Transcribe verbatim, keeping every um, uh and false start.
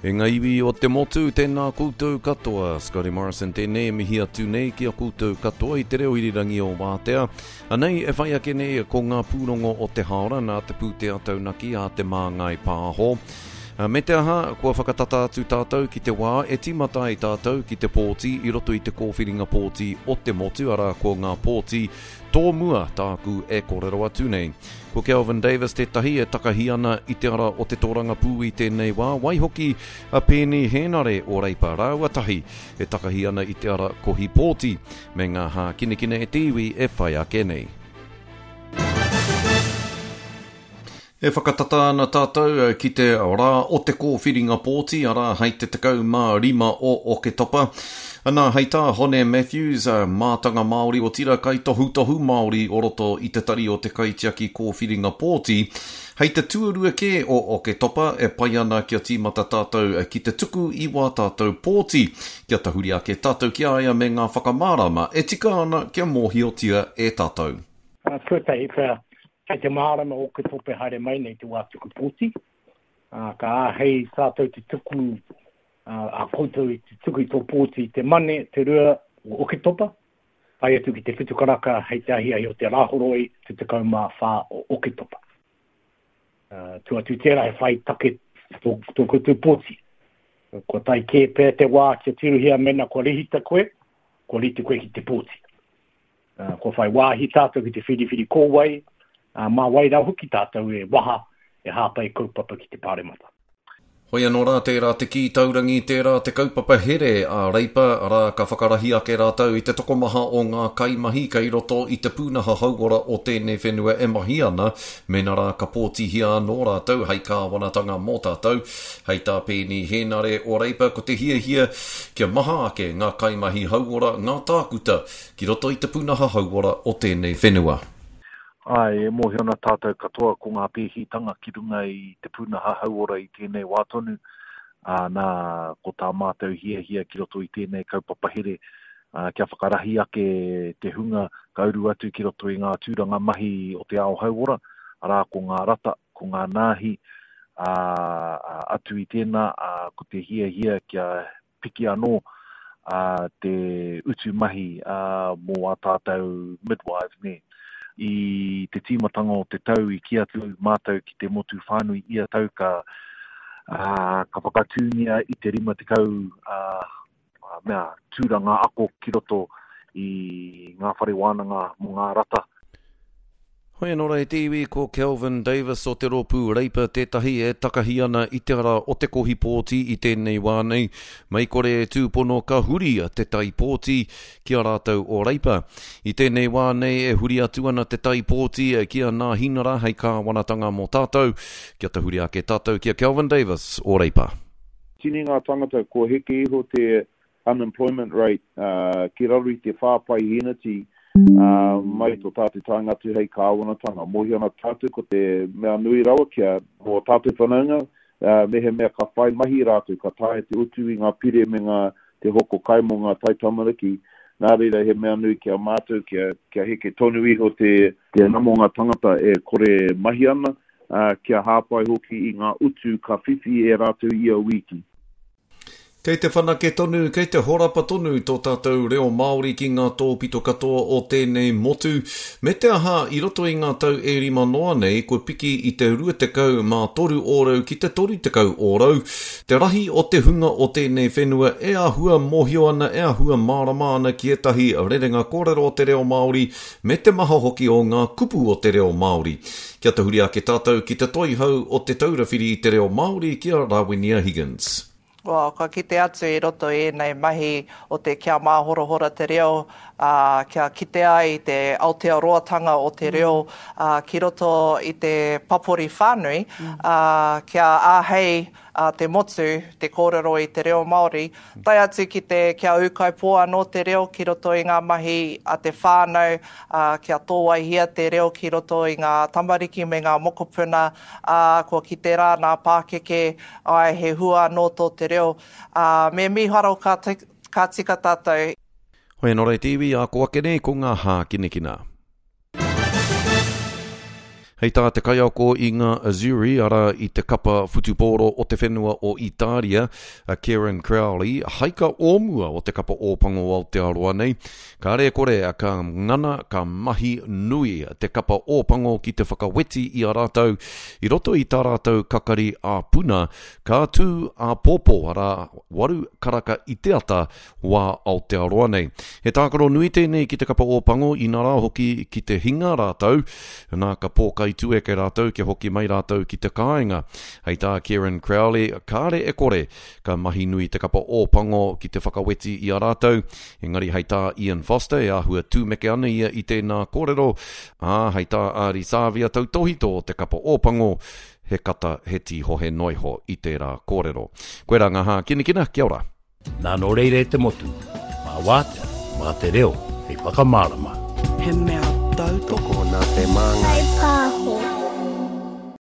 E ngā iwi o te motu, tēnā koutou katoa. Scotty Morrison tēnei e mihi atu nei ki a koutou katoa i te reo irirangi o Wātea. Anei e whai ake nei ko ngā pūrongo o te haora nā te pūtea taunaki a Te Māngai Pāho. Me te aha, kua whakatata atu tātou ki te wā e tīmata ai tātou ki te pōti i roto i te kōwhiringa pōti o te motu, arā ko ngā pōti tōmua tāku e kōrero atu nei. Ko Kelvin Davis tētahi e takahi ana i te ara o te tōrangapū i tēnei wā, waihoki a Peeni Henare o Reipa rāua tahi e takahi ana i te ara kohi pōti me ngā hākinakina e te iwi e whai ake nei. E whakatata ana tātou ki te rā o te kōwhiringa pōti, arā hei te tekau mā rima o Oketopa. Anā, hei tā Hone Matthews, mātanga Māori otira kaitohutohu Māori o roto i te tari o te kaitiaki kōwhiringa pōti, hei te tuarua kē o Oketopa e pai ana kia tīmata tātou ki te tuku i wā tātou pōti, kia tahuri ake tātou ki a ia me ngā whakamārama e tika ana kia mōhiotia e tātou. Tuatahi pea, kei te mārama o Oketopa haere mai nei te wā tuku pōti. Uh, ka āhei tātou te tuku, uh, a koutou i te tuku i tō pōti i te Mane, te rua o Oketopa, tae atu ki te whitu karaka hei te ahiahi o te Rāhoroi te tekau mā whā o Oketopa. Uh, tua atu tērā he whai take tō, tō koutou pōti. Kua tae kē pea te wā kia tirohia mena kua rehita koe, kua rite koe ki te pōti. Uh, kua whai wāhi tātou ki te whiriwhiri kōwai, uh, mā wai rā hoki tātou e waha e hāpai kaupapa ki te pāremata. Hoi anō rā, tērā te kī taurangi, tērā te kaupapa here a Reipa, arā ka whakarahi ake rātou i te tokomaha o ngā kaimahi kei roto i te pūnaha hauora o tēnei whenua e mahi ana, mena rā ka pōtihia anō rātou hei kāwanatanga mō tātou. Hei tā Peeni Henare o Reipa, ko te hiahia kia maha ake ngā kaimahi hauora, ngā tākuta ki roto i te pūnaha hauora o tēnei whenua. Ai, e mōhio ana tātou katoa ko ngā pēhitanga ki runga i te pūnaha hauora i tēnei wā tonu. Ā, nā, ko tā mātou hiahia ki roto i tēnei kaupapa here, ā, kia whakarahi ake te hunga ka uru atu ki roto i ngā tūranga mahi o te ao hauora, arā ko ngā rata, ko ngā nāhi, ā, atu i tēnā, ā, ko te hiahia kia piki anō ā, te utu mahi ā, mō ā tātou midwives, nē. I te tīmatanga o te tau i kī atu mātou ki te motu whānui ia tau ka, uh, ka whakatūngia i te rima tekau uh, mea, tūranga ako ki roto i ngā whare wānanga mō ngā rata. Hoi anō rā e te iwi, ko Kelvin Davis o te rōpū Reipa tētahi e takahi ana i te ara o te kohi pōti i tēnei wā nei. Mei kore e tūpono ka huri te tai pōti ki a rātou o Reipa. I tēnei wā nei e huri atu ana te tai pōti ki a Nāhinara hei kāwanatanga mō tātou. Kia tahuri ake tātou ki a Kelvin Davis o Reipa. Tini ngā tangata kua heke iho te unemployment rate uh, ki raro i te whā paeheneti Uh, mai tō tātou taenga atu hei kāwanatanga. Mōhio ana tātou ko te mea nui rawa kia mō tātou whanaunga, uh, mehemea ka whai mahi rātou, ka taea te utu i ngā pire me ngā te hoko kai mō ngā taitamariki. Nā reira he mea nui kia mātou, kia, kia heke tonu iho te, te nama o ngā tangata e kore mahi ana, uh, kia hāpai hoki i ngā utu ka whiwhi e rātou ia wiki. Kei te whanake tonu, kei te horapa tonu tō tātou reo Māori ki ngā tōpito katoa o tēnei motu. Me te aha, i roto i ngā tau e rima noa nei, kua piki i te rua tekau mā toru ōrau ki te toru tekau ōrau. Te rahi o te hunga o tēnei whenua e āhua mōhio ana, e āhua mārama ana ki ētahi rerenga kōrero o te reo Māori, me te maha hoki o ngā kupu o te reo Māori. Kia tahuri ake tātou ki te toihau o te Taura Whiri i te reo Māori ki a Rawinia Higgins. Well, ka kite atu i roto i ēnei mahi o te kia māhorahora te reo, uh, kia kite ai te Aotearoatanga o te reo uh, ki roto i te papori whānui, uh, kia āhei uh, te motu, te kōrero i te reo Māori, tae atu ki te kia ūkaipō anō te reo ki roto i ngā mahi a te whānau, uh, kia tōwaihia te reo ki roto i ngā tamariki me ngā mokopuna, uh, kua kite rā nā pākeke, ai he hua anō tō te reo. Uh, me miharo ka, ka tika tātou. Hoi anō rā e te iwi, a ko ake nei ko ngā hākinakina. Hei tā te kaiako i ngā Azzurri, arā i te kapa whutupōro o te whenua o Itāria, a Kieran Crowley, haika o mua o te kapa Ōpango Aotearoa nei, kāre e kore ka ngana, ka mahi nui te kapa Ōpango ki te whakaweti i a rātou i roto i tā rātou kakari ā-puna, ka tū āpōpō, arā, waru karaka i te ata, wā Aotearoa nei. He tākaro nui tēnei ki te kapa Ōpango, inarā hoki ki te hinga rātou, nā ka pōkai tueke rātou kia hoki mai rātou ki te kāinga. Hei tā Kieran Crowley, kāre e kore, ka mahi nui te kapa Ōpango ki te whakaweti i a rātou, engari hei tā Ian Foster e āhua tūmeke ana ia i tēnā kōrero, ā, hei tā Ardie Savea tautohito o te kapa Ōpango, he kata, he tīhohe noiho i tērā kōrero. Koirā ngā hākinakina, kia ora. Nā nō reira e te motu, mā wātea, mā te reo, hei whakamārama. He mea tautoko. Tokona te māngai.